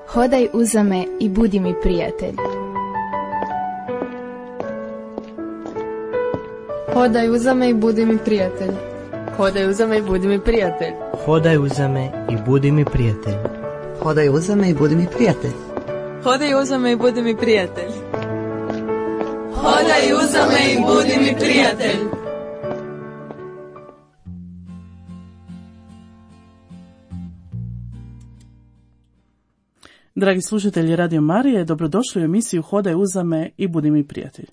Hodaj uza me i budi mi prijatelj. Hodaj uza me i budi mi prijatelj. Hodaj uza me i budi mi prijatelj. Hodaj uza me i budi mi prijatelj. Hodaj uza me i budi mi prijatelj. Hodaj uza me i budi mi prijatelj. Hodaj uza me i budi mi prijatelj. Dragi slušatelji Radio Marije, dobrodošli u emisiju Hodaj uza me i budi mi prijatelj.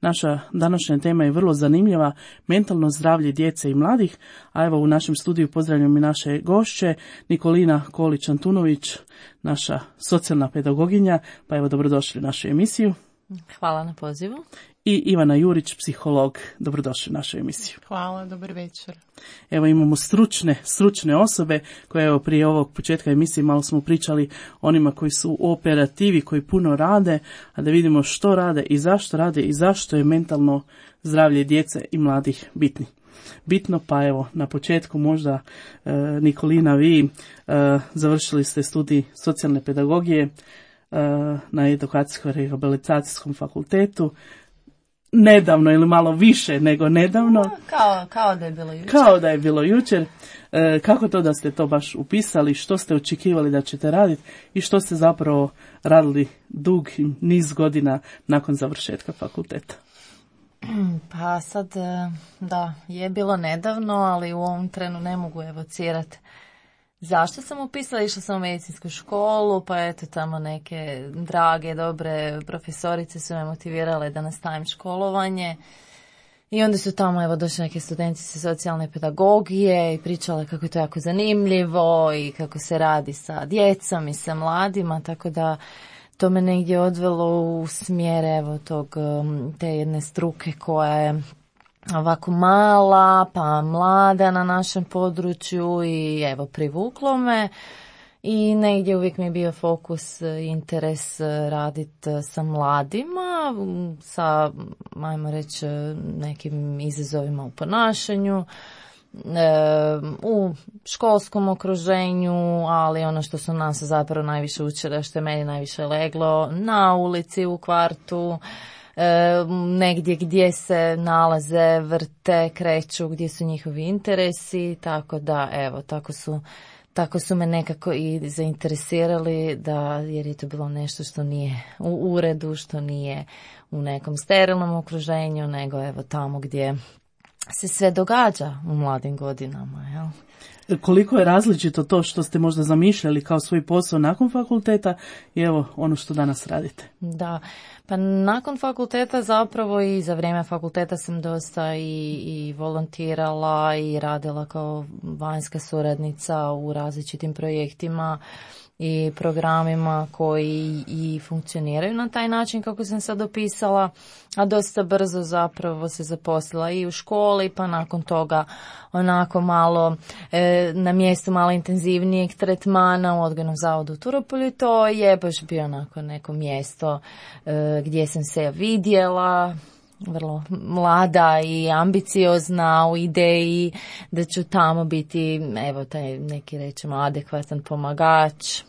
Naša današnja tema je vrlo zanimljiva, mentalno zdravlje djece i mladih, a evo u našem studiju pozdravljam i naše gošće, Nikolina Kolić-Antunović, naša socijalna pedagoginja, pa evo dobrodošli u našu emisiju. Hvala na pozivu. I Ivana Jurić, psiholog, dobrodošli u našu emisiju. Hvala, dobar večer. Evo imamo stručne osobe koje evo prije ovog početka emisije malo smo pričali onima koji su u operativi, koji puno rade, a da vidimo što rade i zašto je mentalno zdravlje djece i mladih bitno. Pa evo na početku možda Nikolina, vi završili ste studij socijalne pedagogije na edukacijsko-rehabilitacijskom fakultetu. Nedavno ili malo više nego nedavno. Kao da je bilo jučer. Kao da je bilo jučer. Kako to da ste to baš upisali, što ste očekivali da ćete raditi i što ste zapravo radili dug niz godina nakon završetka fakulteta? Pa sad, da, je bilo nedavno, ali u ovom trenu ne mogu evocirati zašto sam upisala. Išla sam u medicinsku školu, pa eto tamo neke drage, dobre profesorice su me motivirale da nastavim školovanje. I onda su tamo evo došli neki studenti sa socijalne pedagogije i pričale kako je to jako zanimljivo i kako se radi sa djecom i sa mladima, tako da to me negdje odvelo u smjer evo te jedne struke koja je ovako mala, pa mlada na našem području i evo privuklo me i negdje uvijek mi je bio fokus, interes raditi sa mladima, sa, ajmo reći, nekim izazovima u ponašanju, u školskom okruženju, ali ono što su nas zapravo najviše učili, što je meni najviše leglo, na ulici, u kvartu, negdje gdje se nalaze, vrte, kreću, gdje su njihovi interesi, tako da evo, tako su me nekako i zainteresirali, jer je to bilo nešto što nije u uredu, što nije u nekom sterilnom okruženju, nego evo tamo gdje se sve događa u mladim godinama, jel? Koliko je različito to što ste možda zamišljali kao svoj posao nakon fakulteta i evo ono što danas radite? Da, pa nakon fakulteta zapravo i za vrijeme fakulteta sam dosta i volontirala i radila kao vanjska suradnica u različitim projektima i programima koji i funkcioniraju na taj način kako sam sad opisala, a dosta brzo zapravo se zaposlila i u školi, pa nakon toga onako malo na mjestu malo intenzivnijeg tretmana u odgojnom zavodu u Turopolju. To je baš bio onako neko mjesto gdje sam se vidjela, vrlo mlada i ambiciozna u ideji da ću tamo biti, evo taj neki rećemo adekvatan pomagač,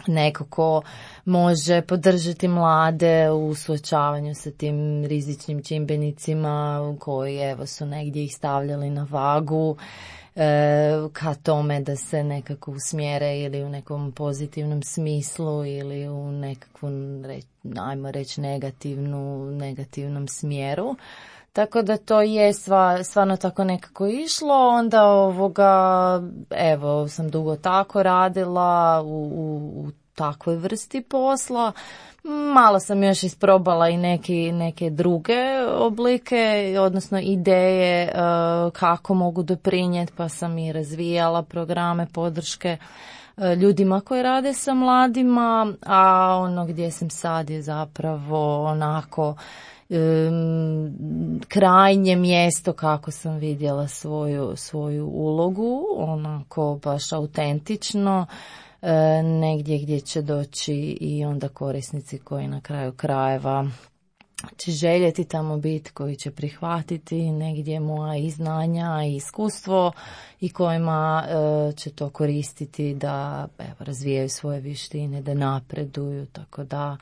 neko ko može podržati mlade u suočavanju sa tim rizičnim čimbenicima koji evo su negdje ih stavljali na vagu ka tome da se nekako usmjere ili u nekom pozitivnom smislu ili u nekakvom, ajmo reći, negativnom smjeru. Tako da to je stvarno tako nekako išlo. Onda evo sam dugo tako radila u takvoj vrsti posla. Malo sam još isprobala i neke druge oblike, odnosno ideje kako mogu doprinijeti, pa sam i razvijala programe podrške ljudima koji rade sa mladima, a ono gdje sam sad je zapravo onako krajnje mjesto kako sam vidjela svoju ulogu, onako baš autentično, negdje gdje će doći i onda korisnici koji na kraju krajeva će željeti tamo biti, koji će prihvatiti negdje moja i znanja i iskustvo i kojima će to koristiti da razvijaju svoje vještine, da napreduju, tako da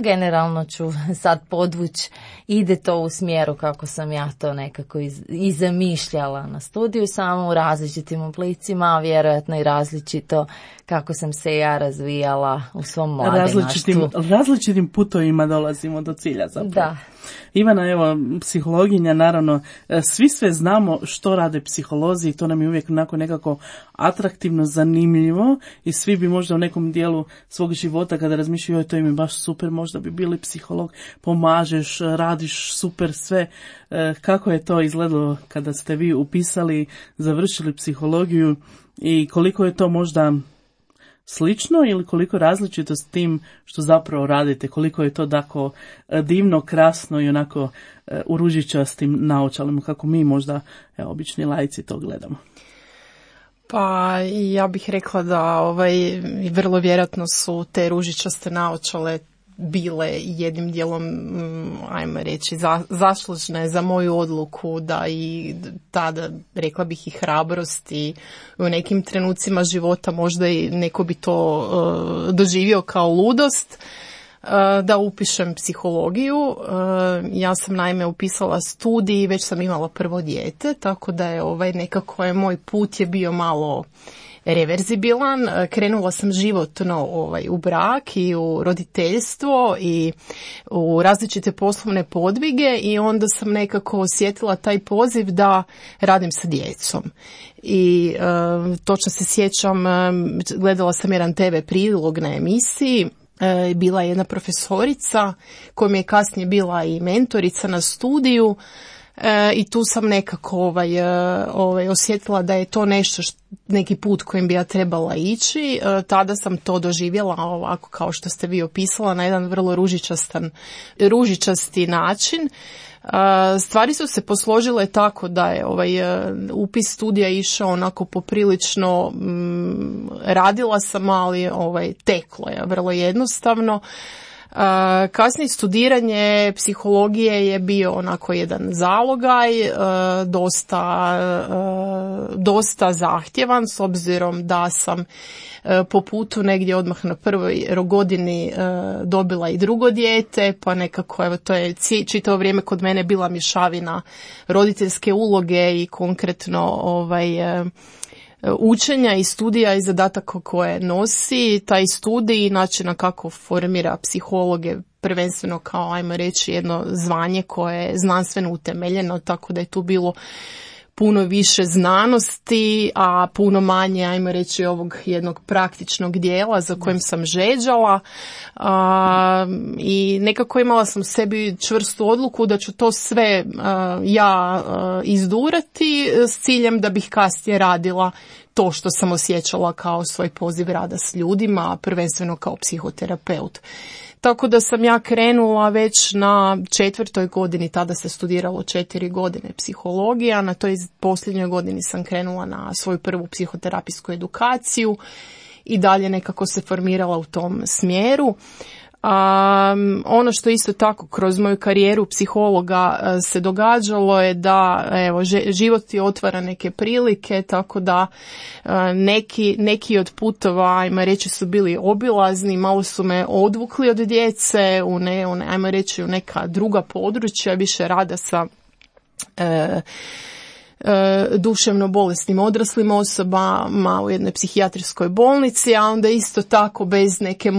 generalno ću sad podvući, ide to u smjeru kako sam ja to nekako i zamišljala na studiju, samo u različitim oblicima, vjerojatno i različito kako sam se ja razvijala u svom mladenaštvu. Različitim putovima dolazimo do cilja zapravo. Da. Ivana, evo, psihologinja, naravno, svi sve znamo što rade psiholozi i to nam je uvijek onako nekako atraktivno, zanimljivo i svi bi možda u nekom dijelu svog života kada razmišljaju, to im je baš super, možda bi bili psiholog, pomažeš, radiš super sve. Kako je to izgledalo kada ste vi upisali, završili psihologiju i koliko je to možda slično ili koliko različito s tim što zapravo radite, koliko je to tako divno, krasno i onako u ružičastim naočalima kako mi možda obični laici to gledamo? Pa ja bih rekla da vrlo vjerojatno su te ružičaste naočale bile jednim dijelom, ajmo reći, zaslužne za moju odluku da i tada, rekla bih, i hrabrost i u nekim trenucima života možda i neko bi to doživio kao ludost, da upišem psihologiju. Ja sam naime upisala studij i već sam imala prvo dijete, tako da je nekako moj put je bio malo reverzibilan. Krenula sam životno u brak i u roditeljstvo i u različite poslovne podvige i onda sam nekako osjetila taj poziv da radim sa djecom. I točno se sjećam, gledala sam jedan TV prilog na emisiji, bila je jedna profesorica koja mi je kasnije bila i mentorica na studiju. I tu sam nekako osjetila da je to nešto neki put kojim bi ja trebala ići. Tada sam to doživjela ovako kao što ste vi opisala na jedan vrlo ružičasti način. Stvari su se posložile tako da je upis studija išao onako poprilično, radila sam, ali teklo je vrlo jednostavno. Kasnije studiranje psihologije je bio onako jedan zalogaj, dosta zahtjevan, s obzirom da sam po putu negdje odmah na prvoj godini dobila i drugo dijete, pa nekako to je čitavo vrijeme kod mene bila mješavina roditeljske uloge i konkretno učenja i studija i zadataka koje nosi taj studij i načina kako formira psihologe, prvenstveno kao, ajmo reći, jedno zvanje koje je znanstveno utemeljeno, tako da je tu bilo puno više znanosti, a puno manje, ajmo reći, ovog jednog praktičnog dijela za kojim sam žeđala. I nekako imala sam u sebi čvrstu odluku da ću to sve izdurati s ciljem da bih kasnije radila to što sam osjećala kao svoj poziv rada s ljudima, prvenstveno kao psihoterapeut. Tako da sam ja krenula već na 4. godini, tada se studiralo 4 godine psihologija, na toj posljednjoj godini sam krenula na svoju prvu psihoterapijsku edukaciju i dalje nekako se formirala u tom smjeru. Ono što isto tako kroz moju karijeru psihologa se događalo je da život ti otvara neke prilike, tako da neki od putova, ajmo reći, su bili obilazni, malo su me odvukli od djece ajmo reći, u neka druga područja, više rada sa duševno bolesnim odraslim osobama u jednoj psihijatrijskoj bolnici, a onda isto tako bez neke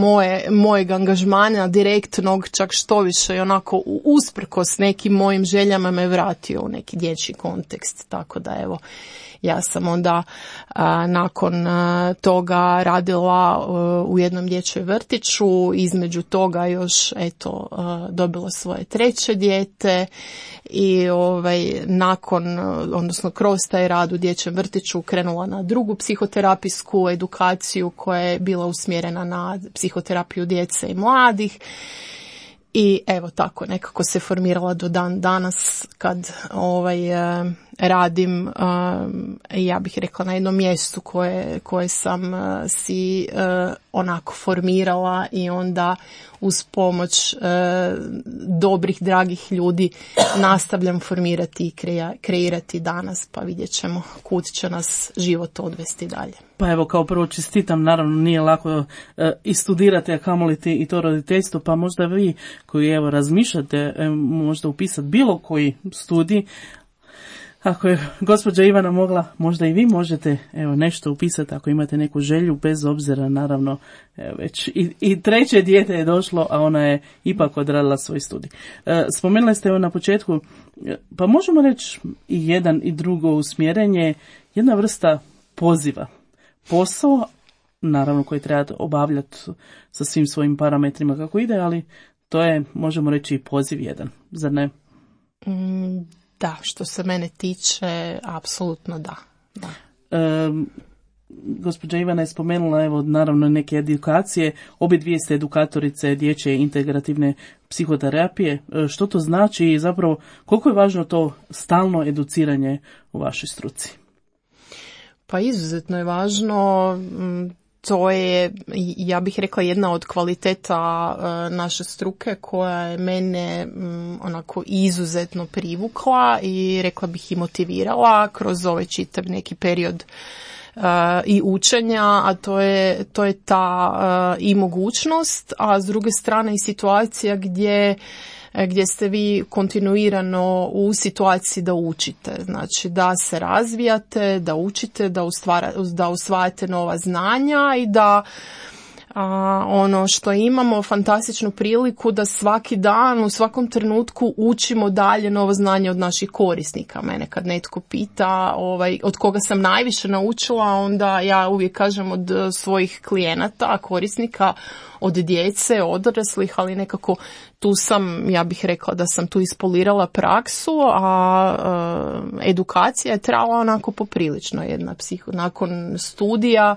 mojeg angažmana direktnog, čak što više i onako usprkos nekim mojim željama me vratio u neki dječji kontekst, tako da ja sam onda nakon toga radila u jednom dječjem vrtiću, između toga još dobila svoje 3. dijete i odnosno kroz taj rad u dječjem vrtiću krenula na drugu psihoterapijsku edukaciju koja je bila usmjerena na psihoterapiju djece i mladih. I evo tako, nekako se formirala do dan danas kad radim, ja bih rekla na jednom mjestu koje sam si onako formirala i onda uz pomoć dobrih, dragih ljudi nastavljam formirati i kreirati danas, pa vidjet ćemo kud će nas život odvesti dalje. Pa evo, kao prvo čestitam, naravno nije lako i studirati, a kamoli i to roditeljstvo, pa možda vi koji evo razmišljate možda upisati bilo koji studij, ako je gospođa Ivana mogla, možda i vi možete evo nešto upisati ako imate neku želju, bez obzira naravno već i treće dijete je došlo, a ona je ipak odradila svoj studij. Spomenuli ste evo na početku, pa možemo reći i jedan i drugo usmjerenje, jedna vrsta poziva. Posao, naravno koji trebate obavljati sa svim svojim parametrima kako ide, ali to je, možemo reći, i poziv jedan, zar ne? Da, što se mene tiče, apsolutno da. Gospođa Ivana je spomenula, evo, naravno neke edukacije, obje dvije ste edukatorice dječje integrativne psihoterapije. Što to znači i zapravo koliko je važno to stalno educiranje u vašoj struci? Pa izuzetno je važno, to je, ja bih rekla, jedna od kvaliteta naše struke koja je mene onako izuzetno privukla i rekla bih i motivirala kroz ovaj čitav neki period i učenja, a to je ta i mogućnost, a s druge strane i situacija gdje ste vi kontinuirano u situaciji da učite, znači da se razvijate, da učite, da usvajate nova znanja i da ono što imamo fantastičnu priliku da svaki dan, u svakom trenutku učimo dalje novo znanje od naših korisnika. Mene kad netko pita od koga sam najviše naučila, onda ja uvijek kažem od svojih klijenata, korisnika, od djece, odraslih, ali nekako tu sam, ja bih rekla da sam tu ispolirala praksu, a edukacija je trajala onako poprilično nakon studija.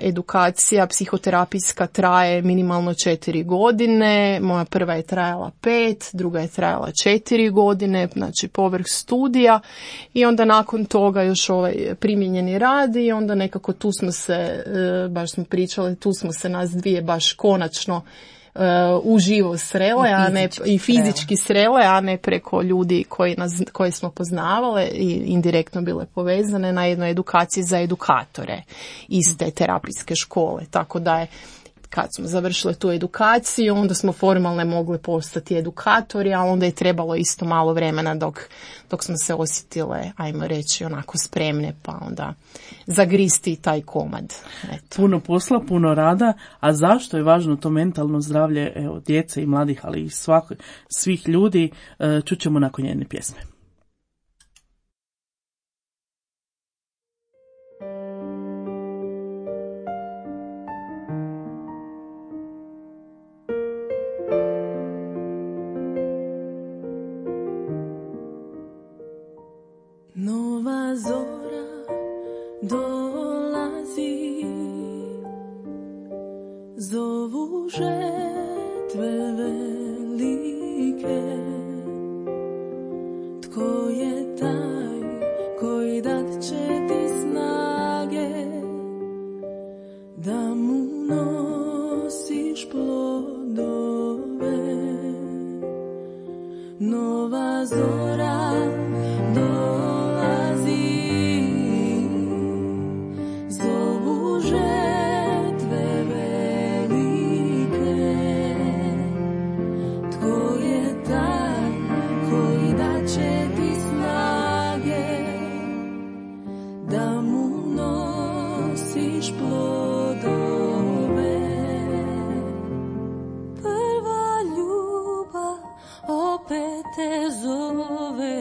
Edukacija psihoterapijska traje minimalno 4 godine, moja prva je trajala 5, druga je trajala 4 godine, znači povrh studija i onda nakon toga još ovaj primijenjeni rad i onda nekako tu smo se, baš smo pričali, tu smo se nas dvije baš konačno uživo srele, i fizički srele, a ne preko ljudi koje smo poznavale i indirektno bile povezane na jednoj edukaciji za edukatore iz te terapijske škole. Tako da je, kad smo završile tu edukaciju, onda smo formalno mogli postati edukatori, a onda je trebalo isto malo vremena dok smo se osjetile, ajmo reći, onako spremne, pa onda zagristi taj komad. Eto. Puno posla, puno rada, a zašto je važno to mentalno zdravlje djece i mladih, ali i svih ljudi, čućemo nakon jedne pjesme. Nova zora dolazi, zovu žetve velike. Tko je taj koji dat će ti snage da mu nosiš plodove? Nova zora dolazi, zovu žetve velike. Tko je taj koji daće ti snage da mu nosiš plodove? Prva ljubav opet te zove,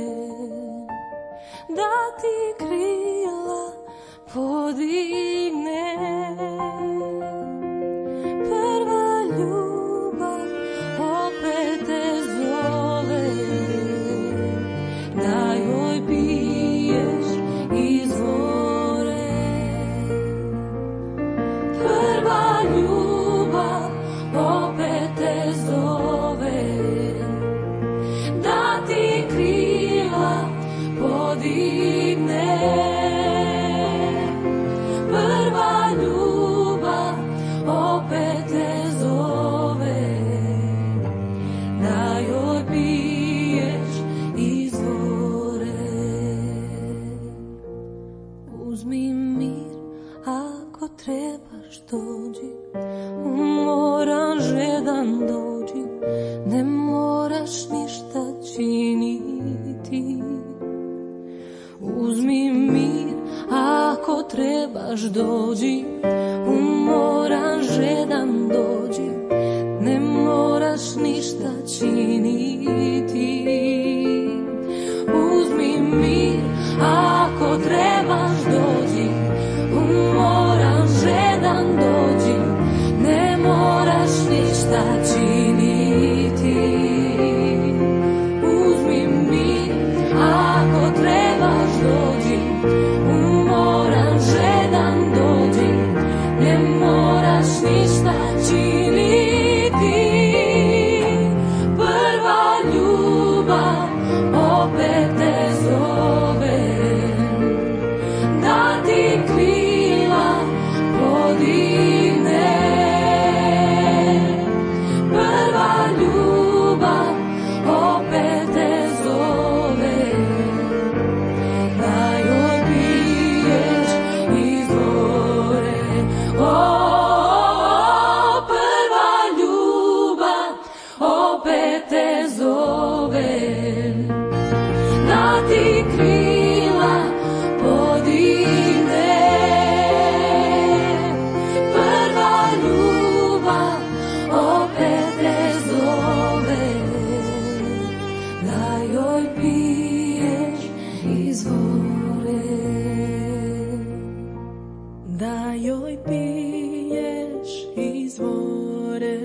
dođi, umoran žedan dođi, ne moraš ništa činiti. Uzmi mir, ako trebaš dođi, umoran žedan dođi, ne moraš ništa činiti. Uzmi mir, ako trebaš dođi, umoran žedan dođi, ne moraš ništa činiti. Uzmi mir, ako trebaš dođi, umoran žedan dođi, ne moraš ništa činiti. Prva ljubav opet te zove, da ti krila podigne. Prva ljubav opet te zove, da joj piješ iz vore. Prva ljubav opet te zove, da ti krila podigne. Prva ljubav opet te zove, da joj piješ iz vore. Da joj piješ iz vore.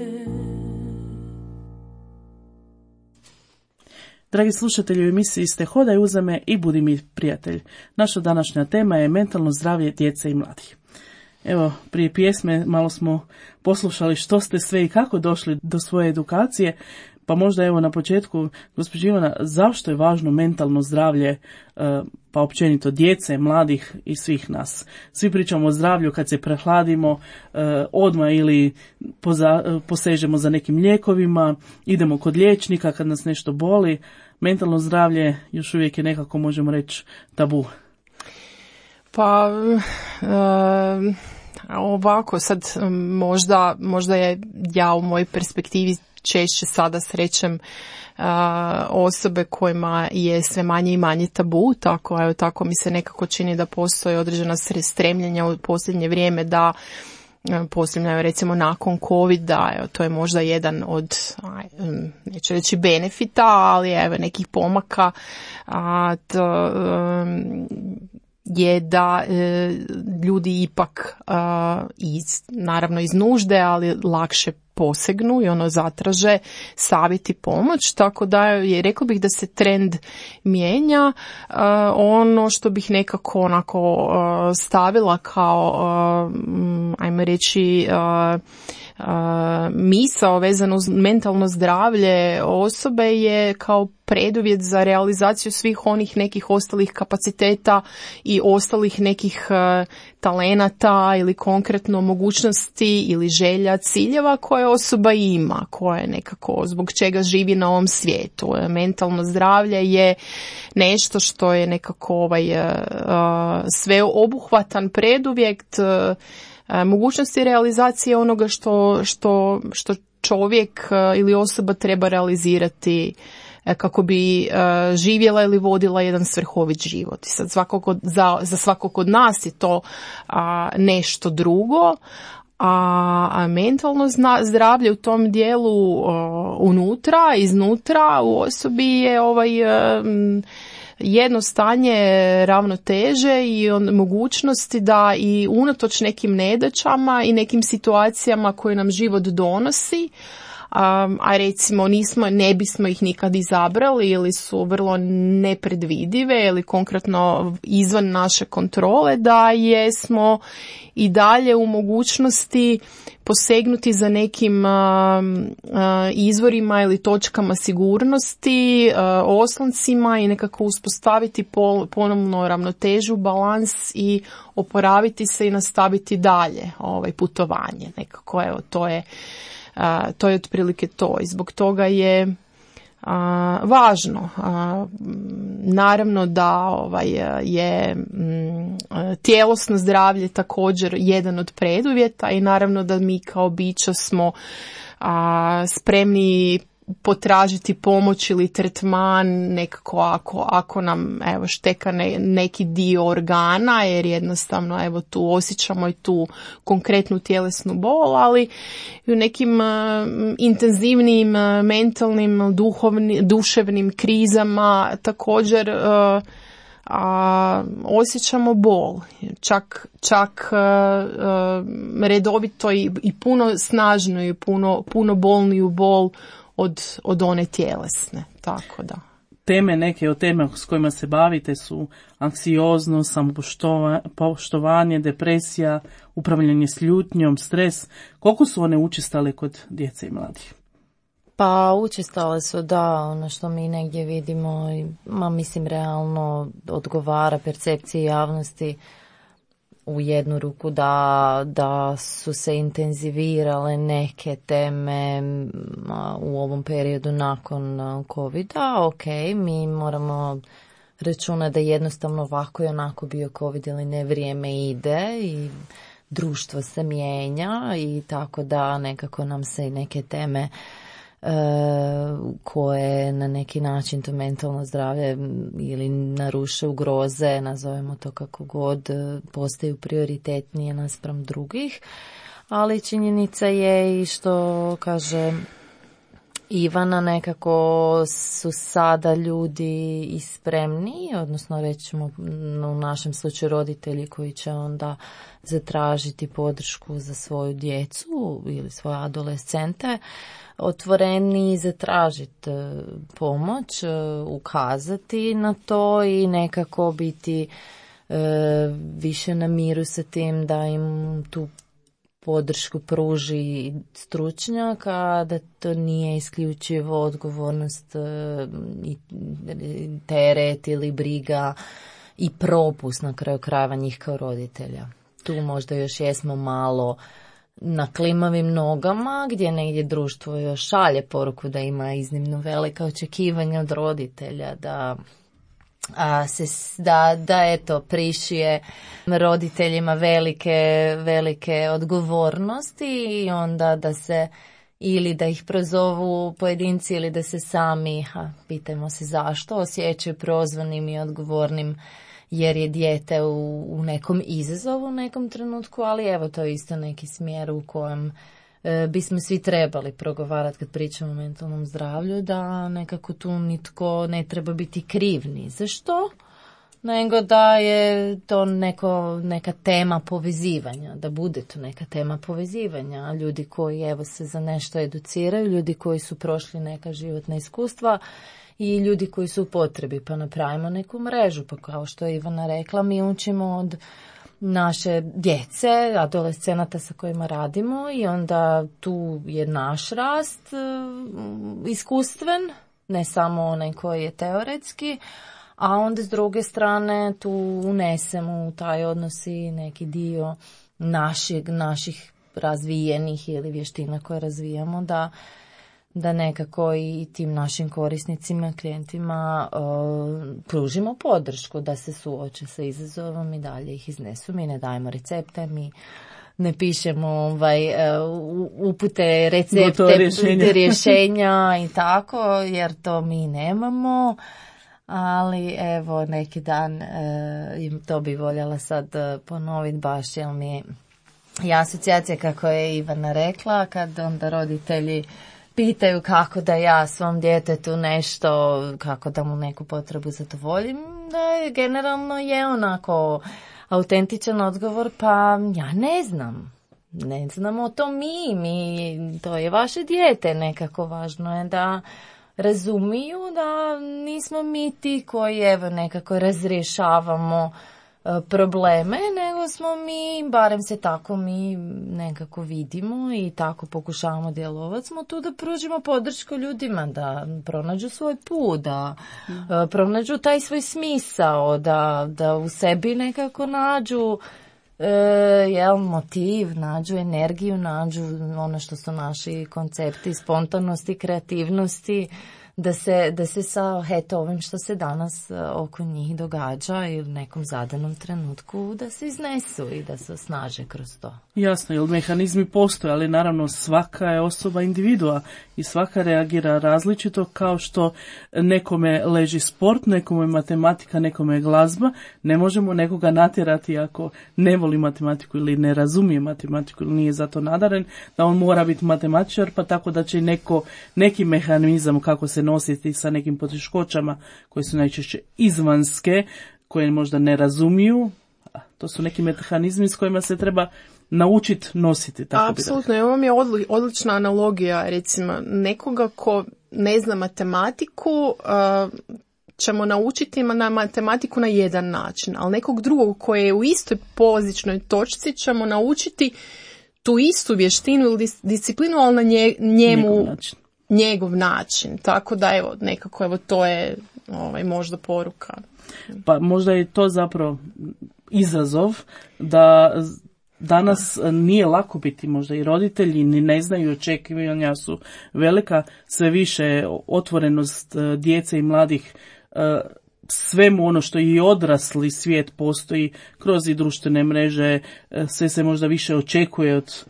Dragi slušatelji, u emisiji ste Hodaj uza me i budi mi prijatelj. Naša današnja tema je mentalno zdravlje djece i mladih. Evo, prije pjesme malo smo poslušali što ste sve i kako došli do svoje edukacije, pa možda evo na početku, gospođo Ivana, zašto je važno mentalno zdravlje, pa općenito djece, mladih i svih nas? Svi pričamo o zdravlju kad se prehladimo, odmah ili posežemo za nekim lijekovima, idemo kod liječnika kad nas nešto boli. Mentalno zdravlje još uvijek je nekako, možemo reći, tabu. Pa ovako sad možda je ja u mojoj perspektivi češće sada srećem osobe kojima je sve manje i manje tabu, tako mi se nekako čini da postoji određena stremljenja u posljednje vrijeme da posljednje, recimo nakon COVID-a, to je možda jedan od, neću reći benefita, ali evo nekih pomaka, je da ljudi ipak naravno iz nužde, ali lakše posegnu i zatraže savjet i pomoć, tako da rekla bih da se trend mijenja. Ono što bih nekako onako stavila kao ajmo reći misao vezano uz mentalno zdravlje osobe je kao preduvjet za realizaciju svih onih nekih ostalih kapaciteta i ostalih nekih talenata ili konkretno mogućnosti ili želja, ciljeva koje osoba ima, koje nekako zbog čega živi na ovom svijetu. Mentalno zdravlje je nešto što je nekako sveobuhvatan preduvjet mogućnosti realizacije onoga što čovjek ili osoba treba realizirati kako bi živjela ili vodila jedan svrhovit život. I sad za svakog od nas je to nešto drugo, a mentalno zdravlje u tom dijelu iznutra u osobi je jedno stanje ravnoteže i mogućnosti da i unatoč nekim nedaćama i nekim situacijama koje nam život donosi, a recimo ne bismo ih nikad izabrali ili su vrlo nepredvidive ili konkretno izvan naše kontrole, da jesmo i dalje u mogućnosti posegnuti za nekim izvorima ili točkama sigurnosti, osloncima i nekako uspostaviti ponovno ravnotežu, balans i oporaviti se i nastaviti dalje putovanje. Nekako to je otprilike to i zbog toga je važno. Naravno da je tjelesno zdravlje također jedan od preduvjeta i naravno da mi kao bića smo spremni potražiti pomoć ili tretman nekako ako nam šteka neki dio organa, jer jednostavno tu osjećamo i tu konkretnu tjelesnu bol, ali i u nekim intenzivnim mentalnim, duševnim krizama također osjećamo bol, čak redovito i puno snažnu i puno bolniju bol od one tjelesne, tako da. Teme, neke od tema s kojima se bavite su anksioznost, samopoštovanje, depresija, upravljanje s ljutnjom, stres. Koliko su one učestale kod djece i mladih? Pa učestale su, da, ono što mi negdje vidimo, mislim realno odgovara percepciji javnosti u jednu ruku da su se intenzivirale neke teme u ovom periodu nakon COVID-a. Ok, mi moramo računati da jednostavno ovako i onako bio COVID ili ne, vrijeme ide i društvo se mijenja i tako da nekako nam se i neke teme koje na neki način to mentalno zdravlje ili naruše, ugroze, nazovemo to kako god, postaju prioritetnije naspram drugih, ali činjenica je i što kaže Ivana, nekako su sada ljudi i spremni, odnosno rećemo u našem slučaju roditelji koji će onda zatražiti podršku za svoju djecu ili svoje adolescente, otvoreni zatražiti pomoć, ukazati na to i nekako biti više na miru sa tim da im tu podršku pruži stručnjaka, da to nije isključivo odgovornost i teret ili briga i propust na kraju krajeva njih kao roditelja. Tu možda još jesmo malo na klimavim nogama, gdje negdje društvo još šalje poruku da ima iznimno velika očekivanja od roditelja, da eto prišije roditeljima velike odgovornosti i onda da se ili da ih prozovu pojedinci ili da se sami, pitajmo se zašto, osjećaju prozvanim i odgovornim jer je dijete u nekom izazovu u nekom trenutku, ali evo to je isto neki smjer u kojem bismo svi trebali progovarati kad pričamo o mentalnom zdravlju, da nekako tu nitko ne treba biti kriv ni za što, nego da je to neka tema povezivanja, da bude to neka tema povezivanja. Ljudi koji evo se za nešto educiraju, ljudi koji su prošli neka životna iskustva i ljudi koji su u potrebi, pa napravimo neku mrežu, pa kao što je Ivana rekla, mi učimo od naše djece, adolescenata sa kojima radimo i onda tu je naš rast iskustven, ne samo onaj koji je teoretski, a onda s druge strane tu unesemo u taj odnos i neki dio naših razvijenih ili vještina koje razvijamo, da nekako i tim našim korisnicima, klijentima pružimo podršku da se suoče sa izazovom i dalje ih iznesu. Mi ne dajemo recepte, mi ne pišemo upute, recepte, rješenja i tako, jer to mi nemamo. Ali evo neki dan to bi voljela sad ponoviti baš, jer mi je asocijacija kako je Ivana rekla, kad onda roditelji pitaju kako da ja svom djetetu nešto, kako da mu neku potrebu zadovoljim, da je generalno je onako autentičan odgovor, pa ja ne znamo to mi, to je vaše dijete, nekako važno je da razumiju da nismo mi ti koji evo nekako razrješavamo probleme, nego smo mi, barem se tako mi nekako vidimo i tako pokušavamo djelovati, smo tu da pružimo podršku ljudima, da pronađu svoj put, da pronađu taj svoj smisao, da u sebi nekako nađu motiv, nađu energiju, nađu ono što su naši koncepti spontanosti, kreativnosti, da se sa ovim što se danas oko njih događa i u nekom zadanom trenutku da se iznesu i da se osnaže kroz to. Jasno, jer mehanizmi postoje, ali naravno svaka je osoba individua i svaka reagira različito, kao što nekome leži sport, nekome matematika, nekome glazba. Ne možemo nekoga natjerati ako ne voli matematiku ili ne razumije matematiku ili nije zato nadaren, da on mora biti matematičar, pa tako da će neki mehanizam kako se nositi sa nekim poteškoćama koje su najčešće izvanske, koje možda ne razumiju. To su neki mehanizmi s kojima se treba naučiti nositi. Apsolutno, ovo mi je odlična analogija, recimo nekoga ko ne zna matematiku, ćemo naučiti na matematiku na jedan način, ali nekog drugog koji je u istoj polazičnoj točci ćemo naučiti tu istu vještinu ili disciplinu, ali na njegov način. Tako da evo, nekako to je možda poruka. Pa možda je to zapravo izazov da danas nije lako biti, možda i roditelji ni ne znaju, očekivanja su velika, sve više otvorenost djece i mladih svemu ono što i odrasli svijet postoji kroz i društvene mreže, sve se možda više očekuje od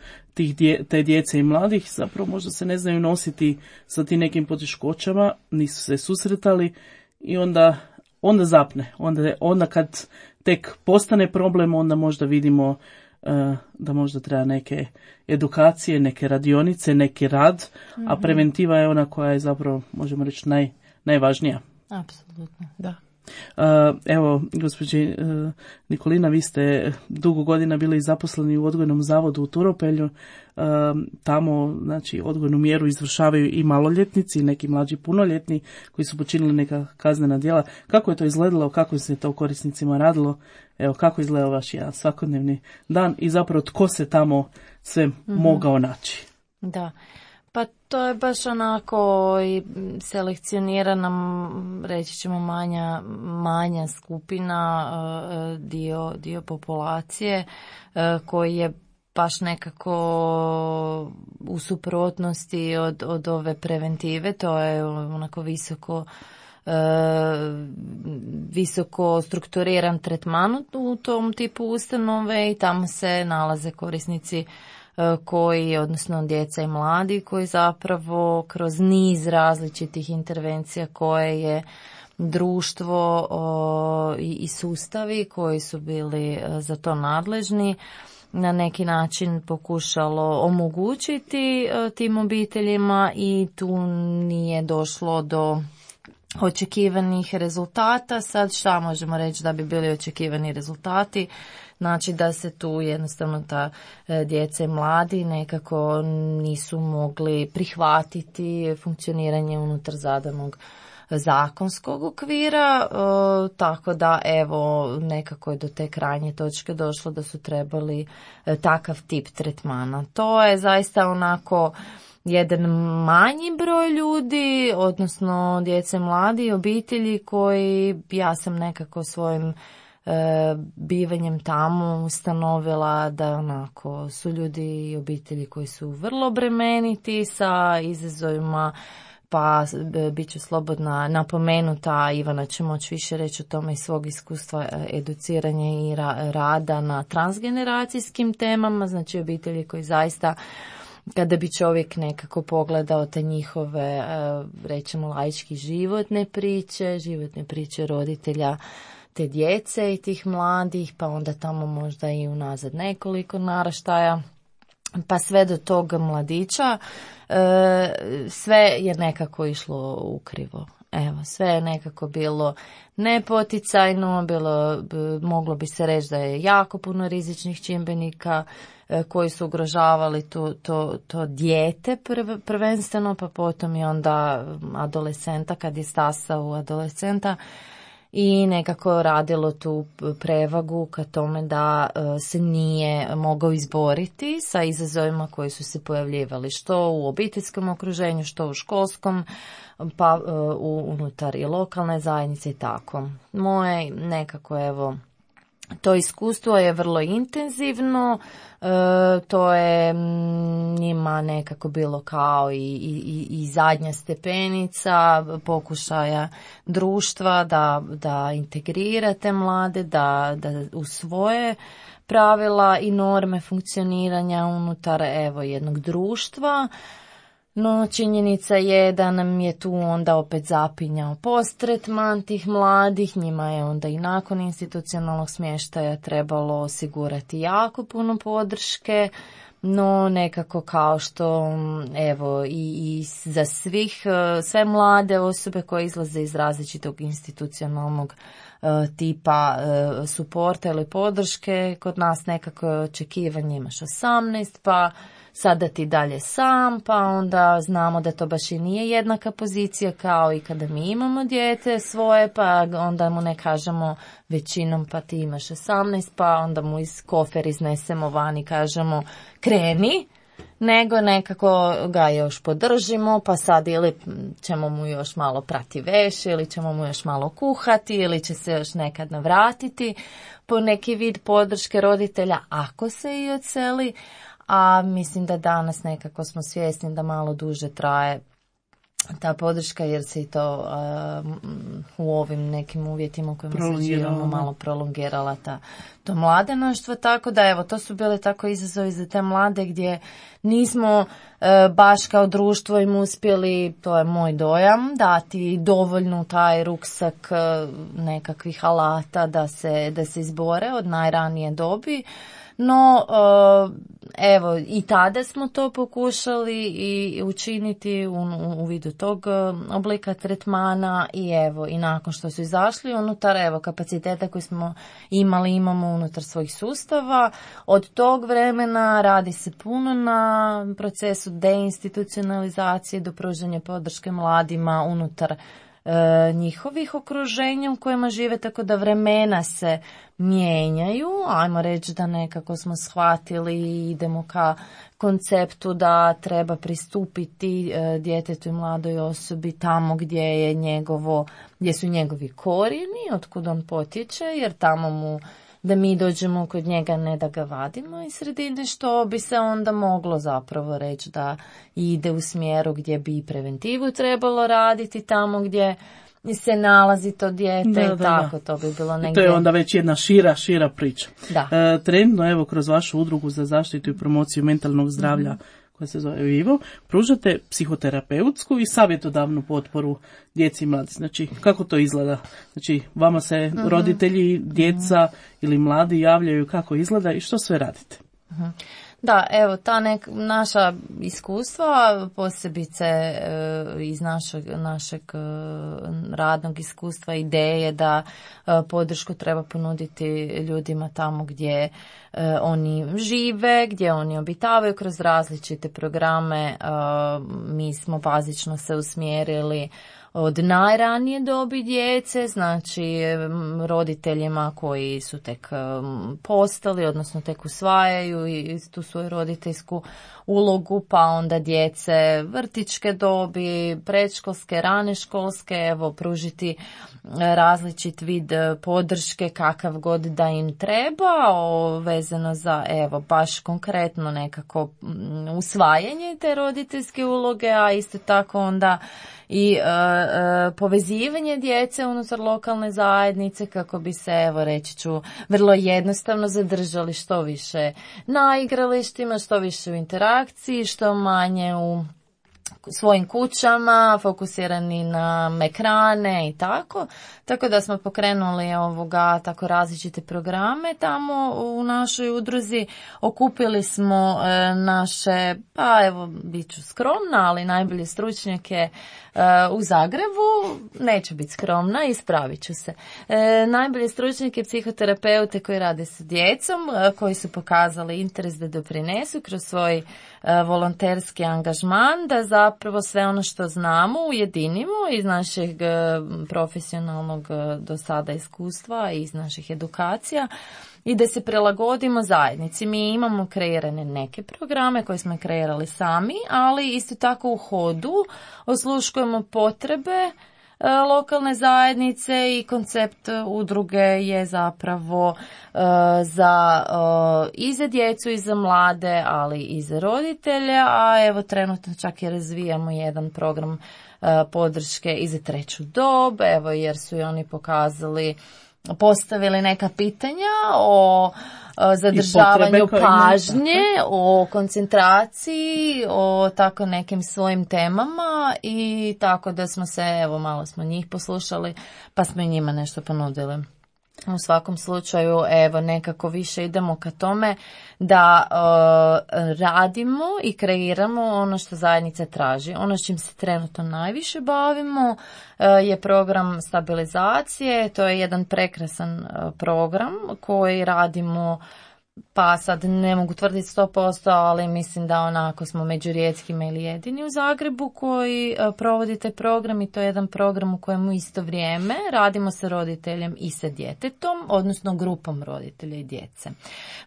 te djece i mladih, zapravo možda se ne znaju nositi sa tim nekim poteškoćama, nisu se susretali i onda zapne. Onda kad tek postane problem, onda možda vidimo da možda treba neke edukacije, neke radionice, neki rad, a preventiva je ona koja je zapravo, možemo reći, najvažnija. Apsolutno, da. Evo, gospođi Nikolina, vi ste dugo godina bili zaposleni u odgojnom zavodu u Turopelju. Tamo, znači, odgojnu mjeru izvršavaju i maloljetnici i neki mlađi punoljetni koji su počinili neka kaznena djela. Kako je to izgledalo, kako se to korisnicima radilo? Evo, kako izgleda vaš jedan svakodnevni dan i zapravo tko se tamo sve mogao naći? Da. Pa to je baš onako i selekcionirana, reći ćemo manja skupina, dio populacije koji je baš nekako u suprotnosti od ove preventive. To je onako visoko strukturiran tretman u tom tipu ustanove i tamo se nalaze korisnici odnosno djeca i mladi koji zapravo kroz niz različitih intervencija koje je društvo i sustavi koji su bili za to nadležni na neki način pokušalo omogućiti tim obiteljima i tu nije došlo do očekivanih rezultata. Sad šta možemo reći da bi bili očekivani rezultati? Znači da se tu jednostavno ta djeca i mladi nekako nisu mogli prihvatiti funkcioniranje unutar zadanog zakonskog okvira, tako da evo nekako je do te krajnje točke došlo da su trebali takav tip tretmana. To je zaista onako jedan manji broj ljudi, odnosno djece, mladi, obitelji koji ja sam nekako svojim bivanjem tamo ustanovila da onako su ljudi i obitelji koji su vrlo bremeniti sa izazovima, pa bit ću slobodna napomenuta, Ivana će moći više reći o tome iz svog iskustva educiranja i rada na transgeneracijskim temama, znači obitelji koji zaista, kada bi čovjek nekako pogledao te njihove, rećemo laički, životne priče roditelja te djece i tih mladih, pa onda tamo možda i unazad nekoliko naraštaja, pa sve do tog mladića, sve je nekako išlo ukrivo. Evo, sve je nekako bilo nepoticajno, moglo bi se reći da je jako puno rizičnih čimbenika koji su ugrožavali to dijete prvenstveno, pa potom i onda adolescenta kad je stasao u adolescenta i nekako radilo tu prevagu ka tome da se nije mogao izboriti sa izazovima koji su se pojavljivali što u obiteljskom okruženju, što u školskom, pa unutar i lokalne zajednice i tako. Moje nekako evo to iskustvo je vrlo intenzivno, to je njima nekako bilo kao i zadnja stepenica pokušaja društva da integrirate te mlade, da usvoje pravila i norme funkcioniranja unutar jednog društva. No, činjenica je da nam je tu onda opet zapinjao posttretman tih mladih, njima je onda i nakon institucionalnog smještaja trebalo osigurati jako puno podrške, no nekako kao što i za sve mlade osobe koje izlaze iz različitog institucionalnog tipa suporta ili podrške, kod nas nekako je očekivanje imaš 18, pa sada ti dalje sam, pa onda znamo da to baš i nije jednaka pozicija kao i kada mi imamo dijete svoje, pa onda mu ne kažemo većinom pa ti imaš 18, pa onda mu iz kofer iznesemo van i kažemo kreni, nego nekako ga još podržimo, pa sad ili ćemo mu još malo prati veš, ili ćemo mu još malo kuhati, ili će se još nekad navratiti po neki vid podrške roditelja ako se i odseli. A mislim da danas nekako smo svjesni da malo duže traje ta podrška jer se i to u ovim nekim uvjetima u kojima se živimo malo prolongirala to mladenaštvo, tako da to su bile tako izazovi za te mlade gdje nismo baš kao društvo im uspjeli, to je moj dojam, dati dovoljno taj ruksak nekakvih alata da se izbore od najranije dobi. No, i tada smo to pokušali i učiniti u vidu tog oblika tretmana i nakon što su izašli unutar kapaciteta koji smo imamo unutar svojih sustava. Od tog vremena radi se puno na procesu deinstitucionalizacije do pružanja podrške mladima unutar njihovih okruženja u kojima žive, tako da vremena se mijenjaju. Ajmo reći da nekako smo shvatili i idemo ka konceptu da treba pristupiti djetetu i mladoj osobi tamo gdje su njegovi korijeni, otkud on potječe, jer tamo da mi dođemo kod njega, ne da ga vadimo iz sredine, što bi se onda moglo zapravo reći da ide u smjeru gdje bi preventivu trebalo raditi tamo gdje se nalazi to dijete tako. To bi bilo negdje. To je onda već jedna šira priča. Trenutno, kroz vašu udrugu za zaštitu i promociju mentalnog zdravlja, koja se zove Vivo, pružate psihoterapeutsku i savjetodavnu potporu djeci i mladi. Znači, kako to izgleda? Znači, vama se roditelji, djeca ili mladi javljaju kako izgleda i što sve radite? Da, ta naša iskustva, posebice iz našeg radnog iskustva, ideje da podršku treba ponuditi ljudima tamo gdje oni žive, gdje oni obitavaju kroz različite programe. Mi smo bazično se usmjerili od najranije dobi djece, znači roditeljima koji su tek postali, odnosno tek usvajaju i tu svoju roditeljsku ulogu, pa onda djece vrtićke dobi, predškolske, rane školske, pružiti različit vid podrške kakav god da im treba, vezano za baš konkretno nekako usvajanje te roditeljske uloge, a isto tako onda i povezivanje djece unutar lokalne zajednice kako bi se, reći ću, vrlo jednostavno zadržali što više na igralištima, što više u interakciji, što manje u svojim kućama, fokusirani na ekrane i tako. Tako da smo pokrenuli tako različite programe tamo u našoj udruzi. Okupili smo naše, bit ću skromna, ali najbolje stručnjake u Zagrebu. Neću biti skromna, ispravit ću se. Najbolje stručnjake, psihoterapeute koji rade sa djecom, koji su pokazali interes da doprinesu kroz svoj volonterski angažman, da zapravo sve ono što znamo ujedinimo iz našeg profesionalnog do sada iskustva i iz naših edukacija i da se prilagodimo zajednici. Mi imamo kreirane neke programe koje smo kreirali sami, ali isto tako u hodu osluškujemo potrebe lokalne zajednice i koncept udruge je zapravo i za djecu i za mlade, ali i za roditelje, a evo trenutno čak i razvijamo jedan program podrške i za treću dob, evo jer su i oni postavili neka pitanja o zadržavanju pažnje, o koncentraciji, o tako nekim svojim temama i tako da smo se, evo malo smo njih poslušali pa smo i njima nešto ponudili. U svakom slučaju, evo, nekako više idemo ka tome da radimo i kreiramo ono što zajednica traži. Ono s čim se trenutno najviše bavimo je program stabilizacije. To je jedan prekrasan program koji radimo, pa sad ne mogu tvrditi 100%, ali mislim da onako smo među rijetkima ili jedini u Zagrebu koji provodi taj program i to je jedan program u kojemu isto vrijeme radimo sa roditeljem i sa djetetom, odnosno grupom roditelja i djece.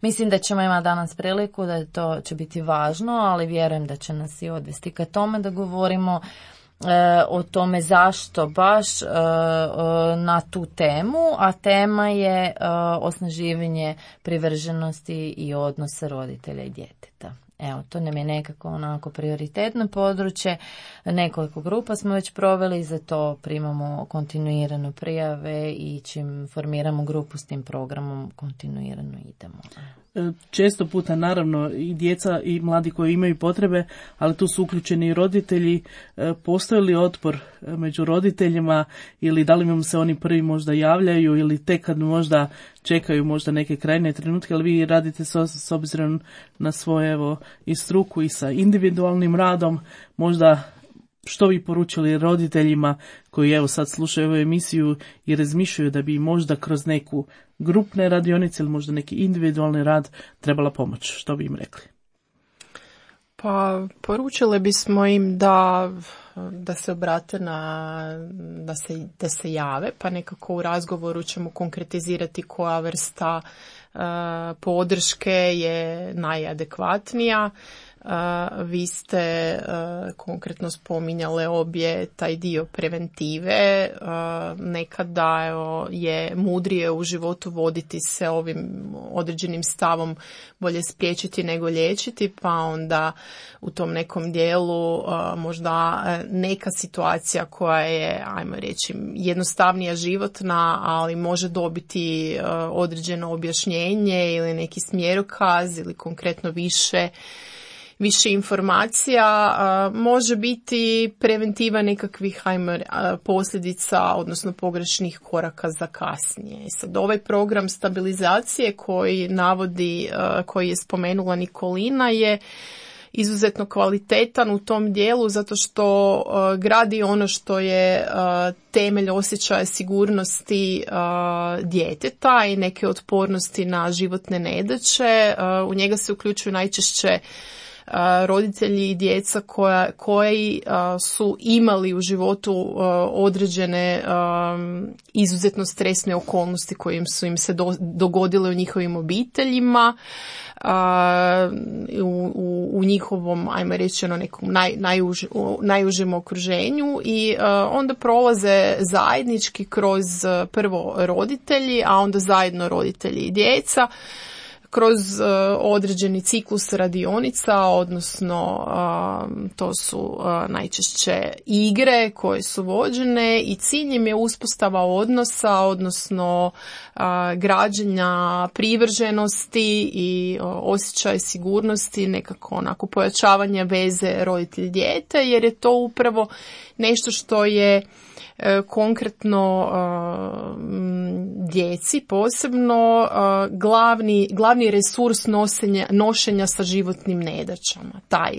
Mislim da ćemo imati danas priliku da to će biti važno, ali vjerujem da će nas i odvesti ka tome da govorimo o tome zašto baš na tu temu, a tema je osnaživanje privrženosti i odnosa roditelja i djeteta. Evo, to nam je nekako onako prioritetno područje. Nekoliko grupa smo već proveli, za to primamo kontinuirano prijave i čim formiramo grupu s tim programom kontinuirano idemo. Često puta naravno i djeca i mladi koji imaju potrebe, ali tu su uključeni i roditelji. Postoji li otpor među roditeljima ili da li im se oni prvi možda javljaju ili tek kad možda čekaju možda neke krajnje trenutke, ali vi radite s obzirom na svoje evo i struku i sa individualnim radom, možda što bi poručili roditeljima koji evo sad slušaju ovu emisiju i razmišljaju da bi možda kroz neku grupne radionice ili možda neki individualni rad trebala pomoć? Što bi im rekli? Pa poručili bismo im da se obrate da se jave, pa nekako u razgovoru ćemo konkretizirati koja vrsta podrške je najadekvatnija. Vi ste konkretno spominjale obje taj dio preventive. Nekada je mudrije u životu voditi se ovim određenim stavom bolje spriječiti nego liječiti, pa onda u tom nekom dijelu možda neka situacija koja je, ajmo reći, jednostavnija životna, ali može dobiti određeno objašnjenje ili neki smjerokaz ili konkretno više informacija, može biti preventiva nekakvih posljedica, odnosno pogrešnih koraka za kasnije. I sad ovaj program stabilizacije koji je spomenula Nikolina je izuzetno kvalitetan u tom dijelu zato što gradi ono što je temelj osjećaja sigurnosti djeteta i neke otpornosti na životne nedaće. U njega se uključuju najčešće roditelji i djeca koji su imali u životu određene izuzetno stresne okolnosti koje su im se dogodile u njihovim obiteljima, u njihovom, ajmo reći, nekom najužem okruženju i onda prolaze zajednički kroz prvo roditelji, a onda zajedno roditelji i djeca, kroz određeni ciklus radionica, odnosno to su najčešće igre koje su vođene i cilj im je uspostava odnosa, odnosno građenja privrženosti i osjećaj sigurnosti, nekako onako pojačavanje veze roditelj-dijete, jer je to upravo nešto što je konkretno djeci posebno glavni resurs nošenja sa životnim nedaćama. Taj